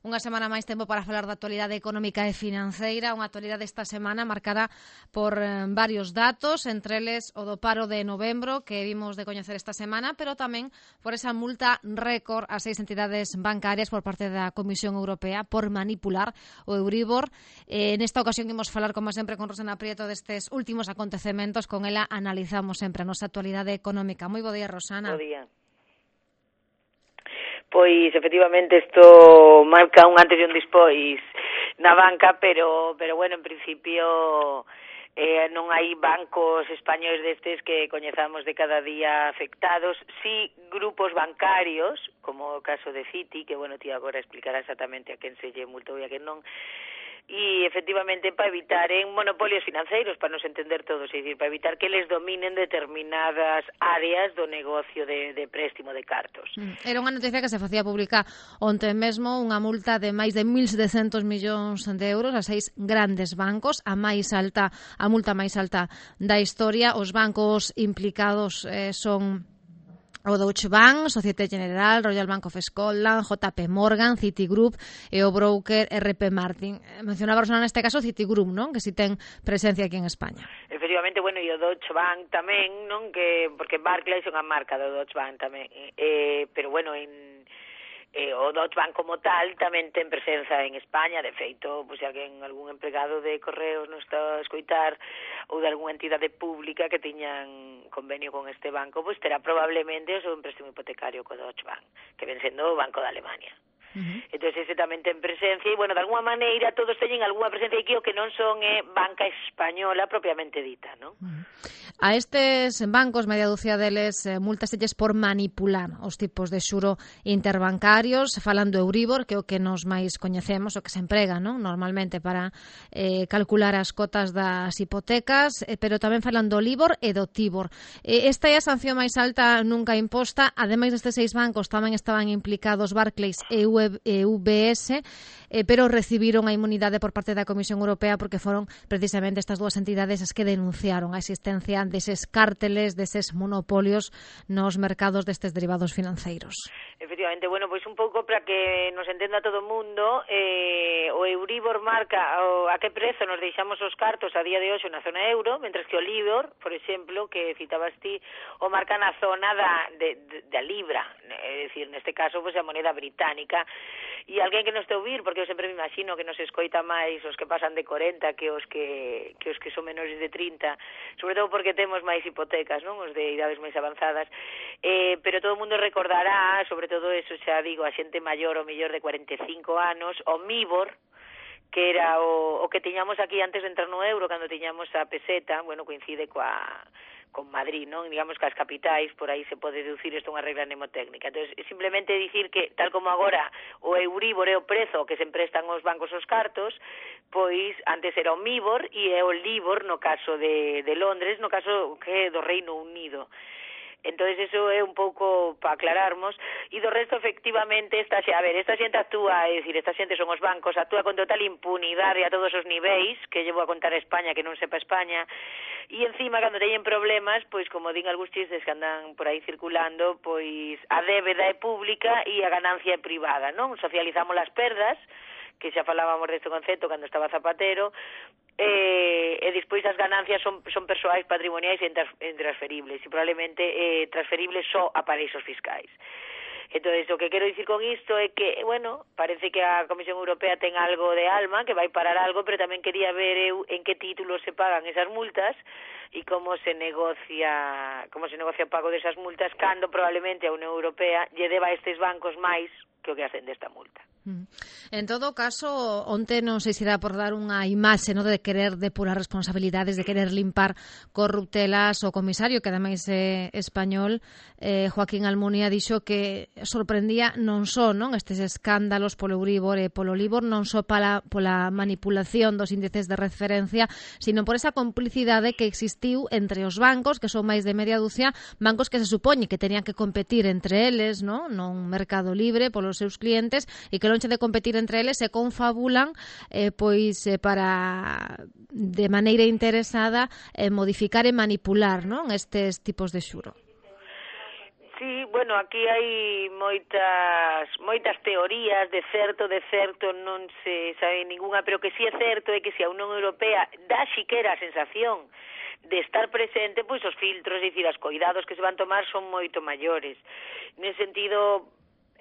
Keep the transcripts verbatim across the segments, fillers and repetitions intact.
Unha semana máis tempo para falar da actualidade económica e financeira, unha actualidade esta semana marcada por eh, varios datos, entre eles o do paro de novembro que vimos de coñecer esta semana, pero tamén por esa multa récord a seis entidades bancarias por parte da Comisión Europea por manipular o Euribor. Eh, nesta ocasión imos falar, como sempre, con Rosana Prieto destes últimos acontecementos. Con ela analizamos sempre a nosa actualidade económica. Moi bo día, Rosana. Bo día. Pois, efectivamente, isto marca un antes e un despois na banca, pero, pero bueno, en principio eh, non hai bancos españoles destes que coñezamos de cada día afectados. Sí, grupos bancarios, como o caso de Citi, que, bueno, ti agora explicará exactamente a quen se lle multou e a quen non, e efectivamente para evitar en monopolios financeiros, para nos entender todos, é dicir, para evitar que les dominen determinadas áreas do negocio de, de préstimo de cartos. Era unha noticia que se facía pública onte mesmo, unha multa de máis de mil setecentos millóns de euros a seis grandes bancos, a máis alta, a multa máis alta da historia. Os bancos implicados eh, son o Deutsche Bank, Societe Generale, Royal Bank of Scotland, J P Morgan, Citigroup e o broker R P Martin. Mencionaba Rosana neste caso Citigroup, non? Que si ten presencia aquí en España. Efectivamente, bueno, e o Deutsche Bank tamén, non? Que porque Barclays é unha marca do Deutsche Bank tamén. Eh, pero bueno, en Eh, o Deutsche Bank como tal tamén ten presenza en España. De feito, pois, se alguén, algún empregado de Correos non está a escoitar ou de algunha entidade pública que tiñan convenio con este banco, pois terá probablemente o seu empréstimo hipotecario co Deutsche Bank, que ven sendo o Banco de Alemania. Uh-huh. Entón, ese tamén ten presencia e, bueno, de alguna maneira todos teñen algunha presencia aquí, o que non son é eh, banca española propiamente dita, non? Uh-huh. A estes bancos, media dúcia deles, eh, multaselles por manipular os tipos de xuro interbancarios, falando Euribor, que é o que nos máis coñecemos, o que se emprega, non? Normalmente para eh, calcular as cotas das hipotecas, eh, pero tamén falando Libor e do Tibor. Eh, esta é a sanción máis alta nunca imposta. Ademais destes seis bancos tamén estaban implicados Barclays e U B S, eh, pero recibiron a inmunidade por parte da Comisión Europea porque foron precisamente estas dúas entidades as que denunciaron a existencia deses cárteles, deses monopolios nos mercados destes derivados financeiros. Efectivamente, bueno, pois un pouco para que nos entenda todo o mundo, eh, o Euribor marca o, a que prezo nos deixamos os cartos a día de hoxe na zona euro, mentres que o Libor, por exemplo, que citabas ti, o marca na zona da, de, de, da libra, é dicir, neste caso, pois, a moneda británica. E alguén que nos te ouvir, porque eu sempre me imagino que nos escoita máis os que pasan de corenta que os que, que os que son menores de trinta, sobre todo porque temos máis hipotecas, non? Os de idades máis avanzadas, eh, pero todo o mundo recordará, sobre todo eso, xa digo, a xente maior ou mellor de cuarenta e cinco anos, o Mibor, que era o, o que tiñamos aquí antes de entrar no euro, cando tiñamos a peseta, bueno, coincide coa con Madrid, non? Digamos que as capitais, por aí se pode deducir isto unha regla mnemotécnica. Entón, simplemente dicir que, tal como agora o Euribor é o prezo que se emprestan os bancos os cartos, pois antes era o Mibor e é o Libor no caso de, de Londres, no caso que é do Reino Unido. Entón, eso é un pouco para aclararmos. E do resto, efectivamente, esta, a ver, esta xente actúa, é dicir, esta xente son os bancos, actúa con total impunidade a todos os niveis, que llevo a contar a España, que non sepa España, e encima, cando teñen problemas, pois, como din algúns chistes que andan por aí circulando, pois, a débeda é pública e a ganancia é privada, non? Socializamos as perdas, que xa falábamos deste concepto cando estaba Zapatero, eh, e despois as ganancias son, son persoais, patrimoniais e intransferibles, e probablemente eh, transferibles só a paraísos fiscais. Entón, o que quero dicir con isto é que, bueno, parece que a Comisión Europea ten algo de alma, que vai parar algo, pero tamén quería ver eu en que títulos se pagan esas multas e como se negocia como se negocia o pago desas multas, cando probablemente a Unión Europea lle deba a estes bancos máis que o que hacen desta multa. En todo caso, onte non sei se dá por dar unha imaxe, no, de querer depurar responsabilidades, de querer limpar corruptelas. O comisario, que ademais é español, eh, Joaquín Almunia, dixo que sorprendía non só, non, estes escándalos polo Euribor e polo Libor, non só pola, pola manipulación dos índices de referencia, sino por esa complicidade que existiu entre os bancos, que son máis de media dúcia, bancos que se supoñe que tenían que competir entre eles, non, nun mercado libre polos seus clientes, e que lonxe de competir entre eles se confabulan eh, pois eh, para de maneira interesada eh, modificar e manipular, non, estes tipos de xuro. Sí, bueno, aquí hai moitas moitas teorías de certo, de certo non se sabe ninguna, pero que si é certo é que se a Unión Europea dá xiquera a sensación de estar presente, pois os filtros, é dicir, os coidados que se van tomar son moito maiores. Nese sentido,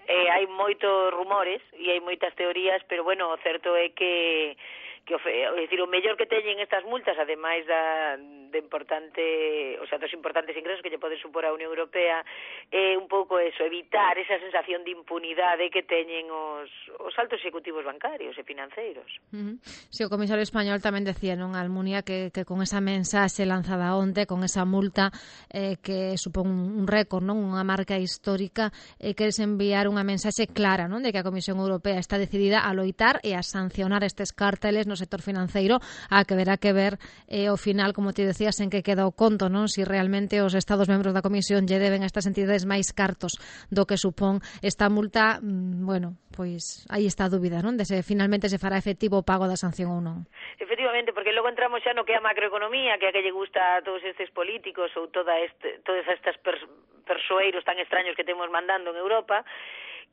eh, hai moitos rumores e hai moitas teorías, pero bueno, o certo é que que é dicir, o mellor que teñen estas multas, ademais da de importante, o sea, dos importantes ingresos que lle pode supor a Unión Europea, é un pouco eso, evitar esa sensación de impunidade que teñen os, os altos executivos bancarios e financeiros. Uh-huh. Si, o comisario español tamén decía, non, Almunia, que, que con esa mensaxe lanzada onte, con esa multa eh, que supón un récord, non, unha marca histórica, eh, queres enviar unha mensaxe clara, non, de que a Comisión Europea está decidida a loitar e a sancionar estes cárteles no sector financeiro, a que verá que ver eh, ao final, como te decías, en que queda o conto, non? Si realmente os Estados membros da Comisión lle deben a estas entidades máis cartos do que supón esta multa, mmm, bueno, pois aí está a dúbida, non? De se finalmente se fará efectivo o pago da sanción ou non. Efectivamente, porque logo entramos xa no que é a macroeconomía, que é a que lle gusta a todos estes políticos ou toda este, todas estas pers persoeiros tan extraños que temos mandando en Europa,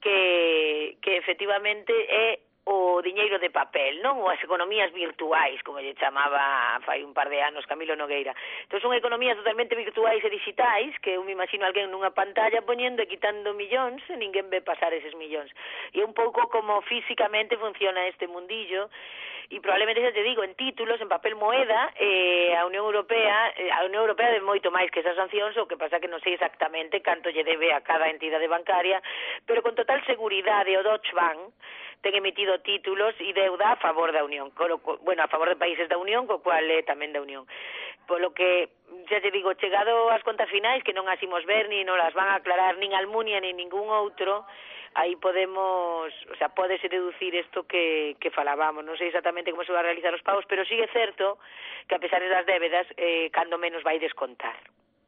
que, que efectivamente é o diñeiro de papel, non? Ou as economías virtuais, como lle chamaba fai un par de anos Camilo Nogueira. Entón son economías totalmente virtuais e digitais, que eu me imagino alguén nunha pantalla poñendo e quitando millóns e ninguén ve pasar eses millóns. E é un pouco como físicamente funciona este mundillo, e probablemente, xa te digo, en títulos, en papel moeda, eh, a Unión Europea, eh, a Unión Europea de moito máis que esas sancións, o que pasa que non sei exactamente canto lle debe a cada entidade bancaria, pero con total seguridade o Deutsche Bank ten emitido títulos e deuda a favor da Unión, bueno, a favor de países da Unión, co cual é tamén da Unión. Polo que, xa te digo, chegado ás contas finais, que non as imos ver, ni non las van a aclarar nin Almunia ni ningún outro, aí podemos, o sea, pódese deducir isto que, que falábamos. Non sei exactamente como se va a realizar os pagos, pero sí é certo que a pesar das débedas, eh, cando menos vai descontar.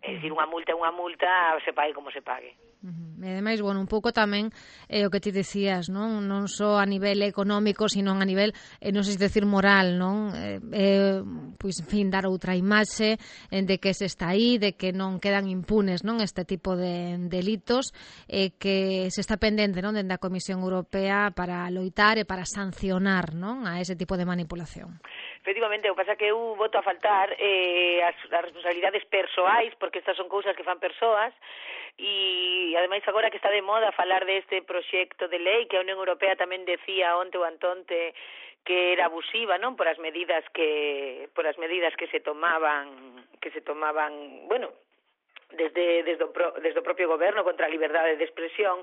É dicir, unha multa é unha multa, se pague como se pague. Uh-huh. E ademais, bueno, un pouco tamén eh, o que ti decías, non non só a nivel económico, sino a nivel, eh, non sei se decir moral, non? Eh, eh, pois, en fin, dar outra imaxe eh, de que se está aí, de que non quedan impunes, non, este tipo de delitos, eh, que se está pendente, non, dende a Comisión Europea para loitar e para sancionar, non, a ese tipo de manipulación. Efectivamente, o que pasa que eu voto a faltar eh, as, as responsabilidades persoais, porque estas son cousas que fan persoas, e ademais agora que está de moda falar deste proxecto de lei que a Unión Europea tamén decía onte ou antonte que era abusiva, non, por as medidas que por as medidas que se tomaban, que se tomaban, bueno, desde desde o, pro, desde o propio goberno contra a liberdade de expresión,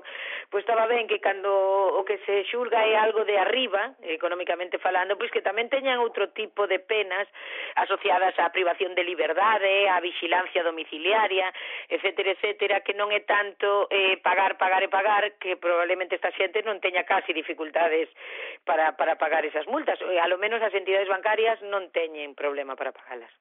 pois estaba ben que cando o que se xulga é algo de arriba, económicamente falando, pois que tamén teñan outro tipo de penas asociadas á privación de liberdade, á vigilancia domiciliaria, etcétera, etcétera, que non é tanto eh, pagar, pagar e pagar, que probablemente esta xente non teña casi dificultades para, para pagar esas multas. A lo menos as entidades bancarias non teñen problema para pagalas.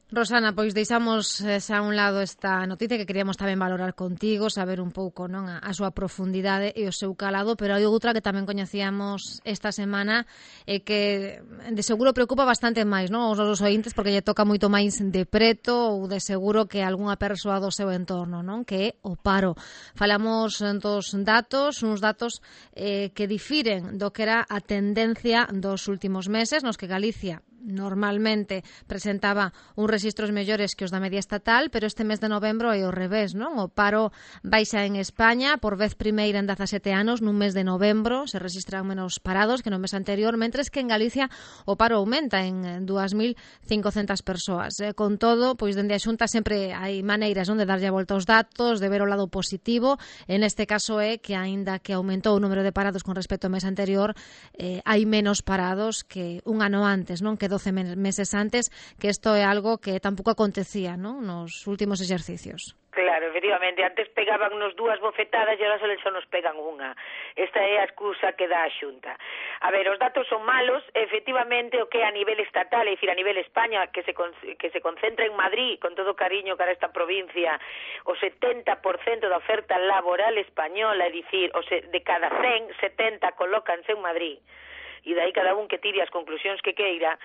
Rosana, pois deixamos xa a un lado esta noticia que queríamos tamén valorar contigo, saber un pouco, non, a, a súa profundidade e o seu calado, pero hai outra que tamén coñecíamos esta semana e que de seguro preocupa bastante máis, non, aos nosos ointes, porque lle toca moito máis de preto ou de seguro que algunha persoa do seu entorno, non, que é o paro. Falamos dos datos, uns datos eh, que difiren do que era a tendencia dos últimos meses, nos que Galicia normalmente presentaba uns rexistros mellores que os da media estatal, pero este mes de novembro é o revés, non? O paro baixa en España por vez primeira en dezasete anos, nun mes de novembro se registran menos parados que no mes anterior, mentres que en Galicia o paro aumenta en dúas mil cincocentas persoas. Eh, con todo, pois dende a Xunta sempre hai maneiras, non, de darlle a volta aos datos, de ver o lado positivo. En este caso é que aínda que aumentou o número de parados con respecto ao mes anterior, eh, hai menos parados que un ano antes, non, que doce meses antes, que isto é algo que tampouco acontecía, non, nos últimos exercicios. Claro, efectivamente, antes pegaban nos dúas bofetadas e agora só nos pegan unha. Esta é a excusa que dá a Xunta. A ver, os datos son malos, efectivamente, o que a nivel estatal, é dicir, a nivel España, que se que se concentra en Madrid, con todo cariño cara a esta provincia, o setenta por cento da oferta laboral española, é dicir, o se, de cada cen, setenta colócanse en Madrid, e dai cada un que tire as conclusións que queira.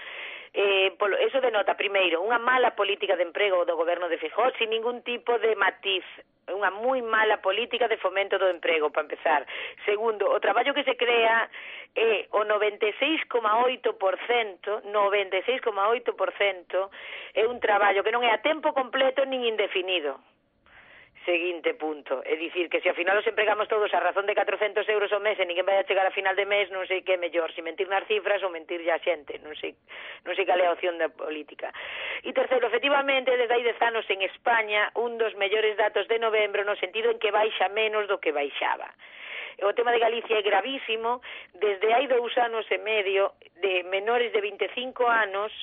Eh, polo, eso denota, primeiro, unha mala política de emprego do goberno de Feijóo sin ningún tipo de matiz, unha moi mala política de fomento do emprego, para empezar. Segundo, o traballo que se crea é o noventa e seis coma oito por cento, noventa e seis coma oito por cento é un traballo que non é a tempo completo nin indefinido. Seguinte punto, é dicir que se ao final os empregamos todos a razón de catrocentos euros ao mes e ninguén vai a chegar a final de mes, non sei que é mellor, se mentir nas cifras ou mentir a xente, non sei, non sei cal é a opción da política. E terceiro, efectivamente, desde hai dez anos en España, un dos mellores datos de novembro no sentido en que baixa menos do que baixaba. O tema de Galicia é gravísimo, desde hai dous anos e medio de menores de vinte e cinco anos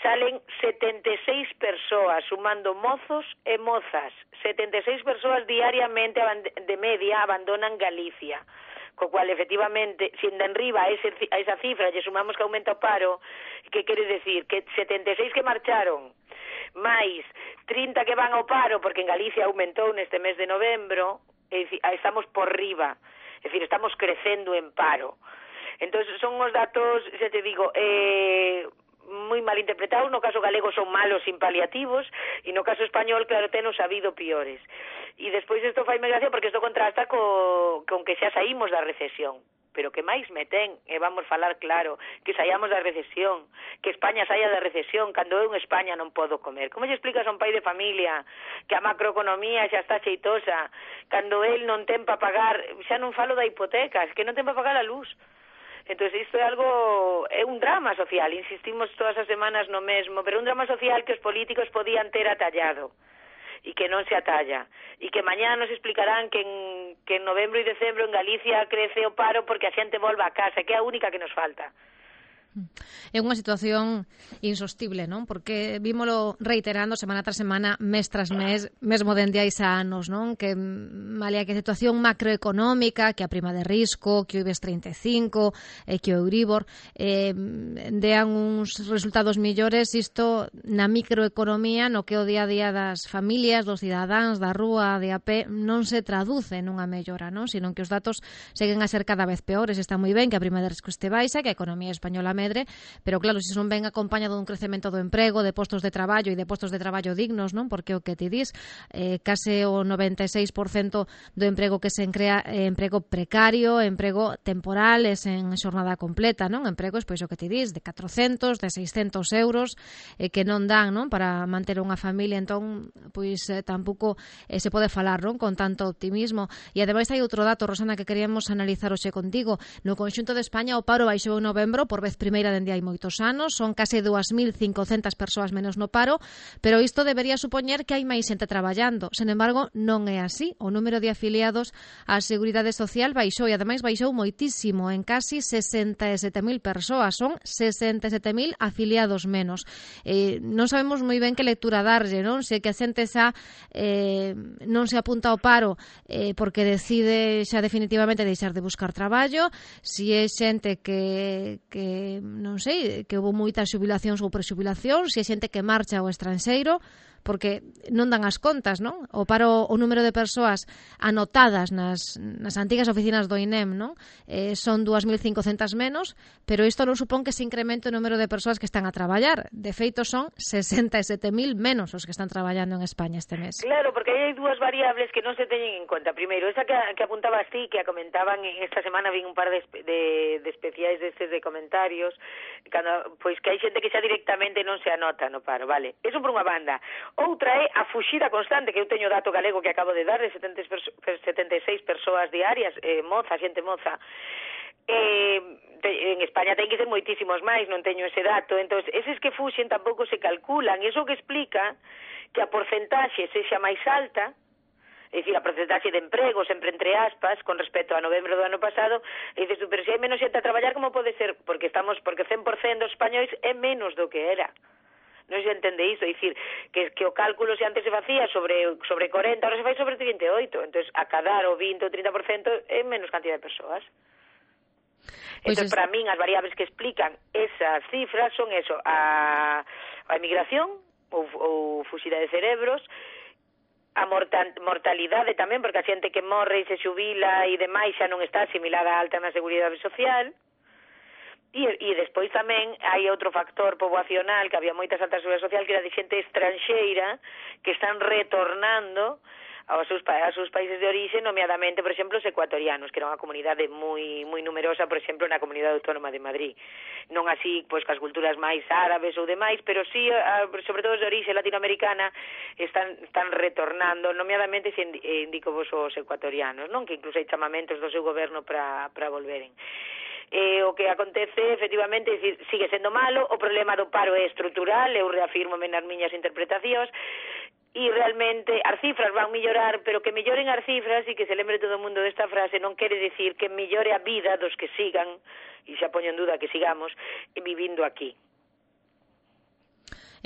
salen setenta e seis persoas, sumando mozos e mozas, setenta e seis persoas diariamente de media abandonan Galicia, co cual efectivamente, se en riba a, ese, a esa cifra lle sumamos que aumenta o paro, que quere decir que setenta e seis que marcharon máis trinta que van ao paro, porque en Galicia aumentou neste mes de novembro, é dicir, estamos por riba. É dicir, estamos crecendo en paro. Entón, son os datos, xa te digo, eh, moi mal interpretados. No caso galego son malos sin paliativos e no caso español, claro, tenos habido piores. E despois isto fai gracia porque isto contrasta co, con que xa saímos da recesión. Pero que máis me ten, e vamos falar claro, que saíamos da recesión, que España saia da recesión, cando eu en España non podo comer. Como lle explicas a un pai de familia que a macroeconomía xa está xeitosa, cando el non ten para pagar, xa non falo da hipoteca, que non ten para pagar a luz. Entón, isto é algo, é un drama social, insistimos todas as semanas no mesmo, pero un drama social que os políticos podían ter atallado e que non se atalla, e que mañá nos explicarán que en, que en novembro e decembro en Galicia crece o paro porque a xente volva a casa, que é a única que nos falta. É unha situación insostible, non? Porque vímolo reiterando semana tras semana, mes tras mes, mesmo dende hai xa anos, non? Que malia que a situación macroeconómica, que a prima de risco, que o IBEX treinta e cinco, eh, que o Euribor, eh, dean uns resultados millores, isto na microeconomía, no que o día a día das familias, dos cidadáns, da rúa, de a pé, non se traduce nunha mellora, non? Sino que os datos seguen a ser cada vez peores. Está moi ben que a prima de risco este baixa, que a economía española medre, pero claro, se non ven acompañado dun crecemento do emprego, de postos de traballo e de postos de traballo dignos, non? Porque o que ti dis, eh, case o noventa e seis por cento do emprego que se crea é emprego precario, emprego temporal, é en xornada completa, non? Empregos, pois o que ti dis, de catrocentos, de seiscentos euros, eh, que non dan, non? Para manter unha familia, entón, pois eh, tampouco eh, se pode falar, non? Con tanto optimismo. E ademais hai outro dato, Rosana, que queríamos analizar hoxe contigo. No conxunto de España o paro baixou en novembro por vez primeira dende hai moitos anos, son case dúas mil cincocentas persoas menos no paro, pero isto debería supoñer que hai máis xente traballando. Sen embargo, non é así. O número de afiliados á Seguridade Social baixou e ademais baixou moitísimo, en casi sesenta e sete mil persoas, son sesenta e sete mil afiliados menos. Eh, non sabemos moi ben que lectura darlle, non? Se que a xente xa eh, non se apunta ao paro eh, porque decide xa definitivamente deixar de buscar traballo, se é xente que, que non sei, que houve moitas xubilacións ou prexubilacións, se é xente que marcha ao estranxeiro, porque non dan as contas, non? O paro, o número de persoas anotadas nas, nas antigas oficinas do I N E M, non? Eh, son dúas mil cincocentas menos, pero isto non supón que se incremente o número de persoas que están a traballar. De feito, son sesenta e sete mil menos os que están traballando en España este mes. Claro, porque hai dúas variables que non se teñen en conta. Primeiro, esa que, que apuntabas ti, que a comentaban en esta semana, vin un par de, de, de especiais destes de comentarios, cando, pois que hai xente que xa directamente non se anota no paro, vale? Eso por unha banda. Outra é a fuxida constante, que eu teño dato galego que acabo de dar, de setenta e seis persoas diarias, eh, moza, xente moza. Eh, en España ten que ser moitísimos máis, non teño ese dato. Entón, eses que fuxen tampouco se calculan. Iso que explica que a porcentaxe sexa máis alta, é dicir, a porcentaxe de emprego, sempre entre aspas, con respecto a novembro do ano pasado, e dices, pero se hai menos xente a traballar, como pode ser? Porque estamos, porque cen por cento dos españois é menos do que era. Non se entende iso, é dicir, que, que o cálculo se antes se facía sobre, sobre corenta, ahora se fai sobre trinta e oito, entón, acadar o vinte ou trinta por cento é menos cantidad de persoas. Entón, pues es... para min, as variables que explican esas cifras son eso, a, a emigración, ou, ou fuxida de cerebros, a morta, mortalidade tamén, porque a xente que morre e se xubila e demais xa non está asimilada a alta na Seguridade Social, E, e despois tamén hai outro factor poboacional, que había moita alta seguridade social, que era de xente estranxeira que están retornando aos seus, aos seus países de orixe, nomeadamente, por exemplo, os ecuatorianos, que era unha comunidade moi moi numerosa, por exemplo, na Comunidade Autónoma de Madrid. Non así, pois, cas culturas máis árabes ou demais, pero sí, sobre todo os de orixe latinoamericana, están, están retornando, nomeadamente, se indico vos os ecuatorianos, non? Que incluso hai chamamentos do seu goberno para para volveren. Eh, o que acontece, efectivamente, é dicir, sigue sendo malo, o problema do paro é estrutural, eu reafirmo nas miñas interpretacións, e realmente as cifras van mellorar, pero que melloren as cifras e que se lembre todo o mundo desta frase non quere decir que mellore a vida dos que sigan, e xa poño en duda que sigamos, vivindo aquí.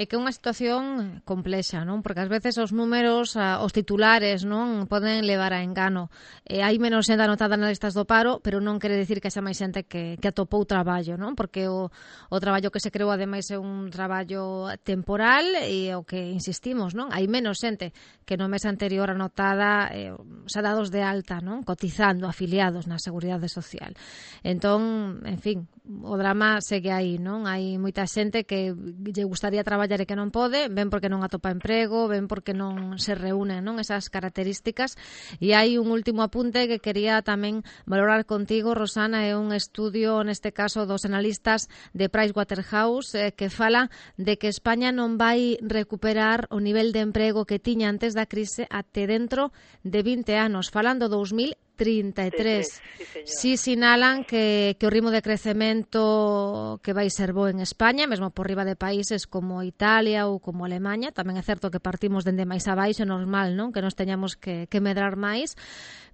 É que é unha situación complexa, non? Porque ás veces os números, os titulares, non, poden levar a engano. E hai menos xente anotada nas listas do paro, pero non quere dicir que xa máis xente que, que atopou traballo, non? Porque o, o traballo que se creou, ademais, é un traballo temporal e o que insistimos, non? Hai menos xente que no mes anterior anotada, eh, xa dados de alta, non? Cotizando, afiliados na Seguridade Social. Entón, en fin, o drama segue aí, non? Hai moita xente que lle gustaría traballar e que non pode, ven porque non atopa emprego, ven porque non se reúnen, non, esas características. E hai un último apunte que quería tamén valorar contigo, Rosana, é un estudio, neste caso, dos analistas de Pricewaterhouse, eh, que fala de que España non vai recuperar o nivel de emprego que tiña antes da crise até dentro de vinte anos, falando dous mil trinta e tres. Si sinalan que, que o ritmo de crecemento que vai ser bo en España, mesmo por riba de países como Italia ou como Alemanha. Tamén é certo que partimos dende máis abaixo, normal, non? Que nos teñamos que, que medrar máis.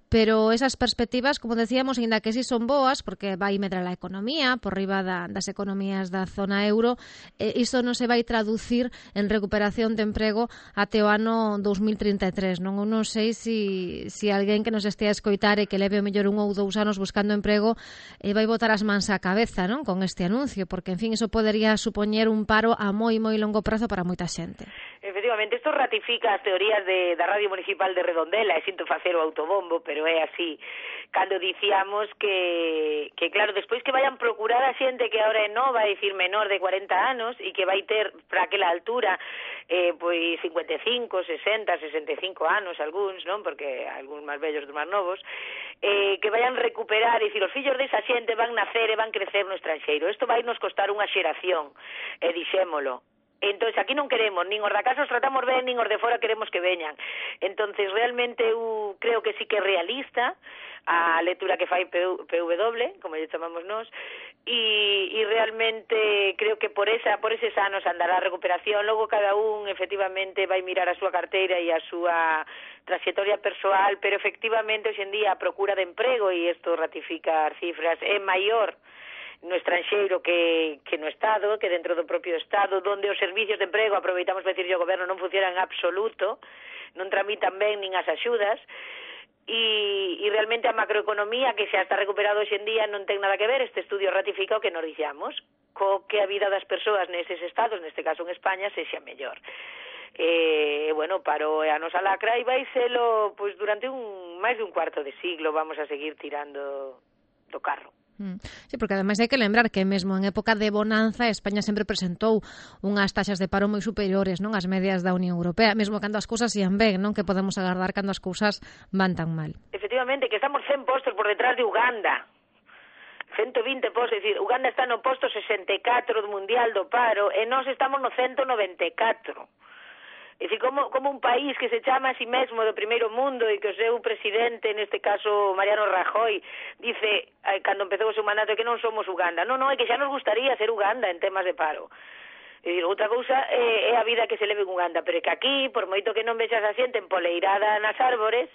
Pero esas perspectivas, como decíamos, ainda que sí son boas, porque vai medrar a economía por riba da, das economías da zona euro, eh, iso non se vai traducir en recuperación de emprego até o ano dous mil trinta e tres. Non, non sei se si, si alguén que nos estea a escoitar e que leve o mellor un ou dous anos buscando emprego eh, vai botar as mans á cabeza, non, con este anuncio, porque, en fin, iso podería supoñer un paro a moi, moi longo prazo para moita xente. Efectivamente, isto ratifica as teorías de, da Radio Municipal de Redondela, e sinto facer o autobombo, pero é así. Cando dicíamos que, que claro, despois que vayan procurar a xente que agora é nova, é dicir, menor de cuarenta anos, e que vai ter, para aquela altura, eh, pois cincuenta e cinco, sesenta, sesenta e cinco anos, algúns, non? Porque algúns máis vellos dos máis novos, eh, que vayan recuperar, e dicir, os fillos desa xente van nacer e van crecer no estranxeiro. Isto vai nos costar unha xeración, e dixémolo. Entonces aquí non queremos, nin os da casa os tratamos ben, nin os de fora queremos que veñan. Entonces realmente eu creo que sí que é realista a lectura que fai P W, como lle chamamos nós, e, e realmente creo que por esa por eses anos andará a recuperación. Logo cada un efectivamente vai mirar a súa carteira e a súa trayectoria persoal, pero efectivamente hoxe en día a procura de emprego, e isto ratifica as cifras, é maior no estranxeiro que, que no Estado, que dentro do propio Estado, donde os servicios de emprego, aproveitamos para dicir, o goberno non funciona en absoluto, non tramitan ben nin as axudas, e, e realmente a macroeconomía, que xa está recuperado hoxe en día, non ten nada que ver. Este estudio ratifica o que nos dixamos, co que a vida das persoas neses estados, neste caso en España, sexa mellor. E, bueno, paro a nosa lacra, e vai selo, pois, durante un máis de un cuarto de siglo vamos a seguir tirando do carro. Sí, porque ademais hai que lembrar que mesmo en época de bonanza España sempre presentou unhas taxas de paro moi superiores, non, ás medias da Unión Europea, mesmo cando as cousas ian ben, non, que podemos agardar cando as cousas van tan mal. Efectivamente, que estamos cen postos por detrás de Uganda. ciento vinte postos, é dicir, Uganda está no posto sesenta e catro do mundial do paro e nós estamos no ciento noventa e catro. É dicir, como, como un país que se chama a si mesmo do primeiro mundo e que o seu presidente, neste caso Mariano Rajoy, dice, eh, cando empezou o seu mandato, que non somos Uganda. Non, non, é que xa nos gustaría ser Uganda en temas de paro. É dicir, outra cousa é, é a vida que se leve en Uganda, pero é que aquí, por moito que non vexas a xente empoleirada nas árbores,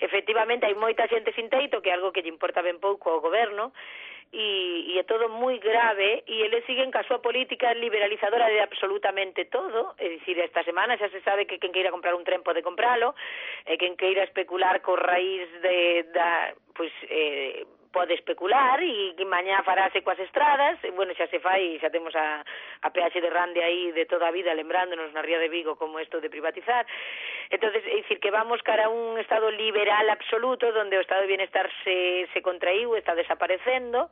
efectivamente hai moita xente sin teito, que é algo que lle importa ben pouco ao goberno, e, e é todo moi grave, e eles siguen ca súa política liberalizadora de absolutamente todo. É dicir, esta semana xa se sabe que quen queira comprar un tren pode compralo, e quen queira especular co raíz de, da, pois, eh, pode especular, e que mañá farase coas estradas, e, bueno, xa se fai, xa temos a, a P H de Rande aí de toda a vida lembrándonos na Ría de Vigo como isto de privatizar. Entonces, é dicir, que vamos cara a un estado liberal absoluto, donde o estado de bienestar se, se contraíu, está desaparecendo,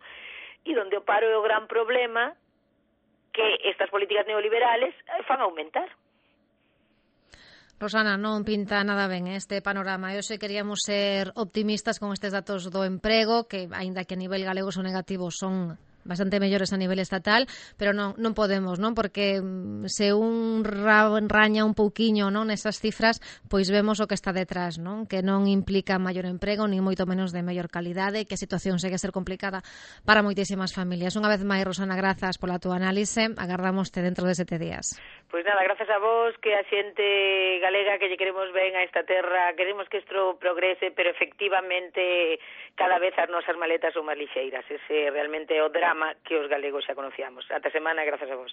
e donde o paro é o gran problema que estas políticas neoliberales fan aumentar. Rosana, non pinta nada ben este panorama. Eu sei queríamos ser optimistas con estes datos do emprego, que, aínda que a nivel galego son negativos, son bastante mellores a nivel estatal, pero non, non podemos, non? Porque se un raña un pouquiño, non, nesas cifras, pois vemos o que está detrás, non? Que non implica maior emprego, nin moito menos de mellor calidade, que a situación segue a ser complicada para moitísimas familias. Unha vez máis, Rosana, grazas pola túa análise. Agardámoste dentro de sete días. Pois nada, grazas a vos, que a xente galega que lle queremos ben a esta terra, queremos que isto progrese, pero efectivamente cada vez as nosas maletas son máis lixeiras. Ese realmente é o drama que os galegos xa conocíamos. Ata semana, grazas a vos.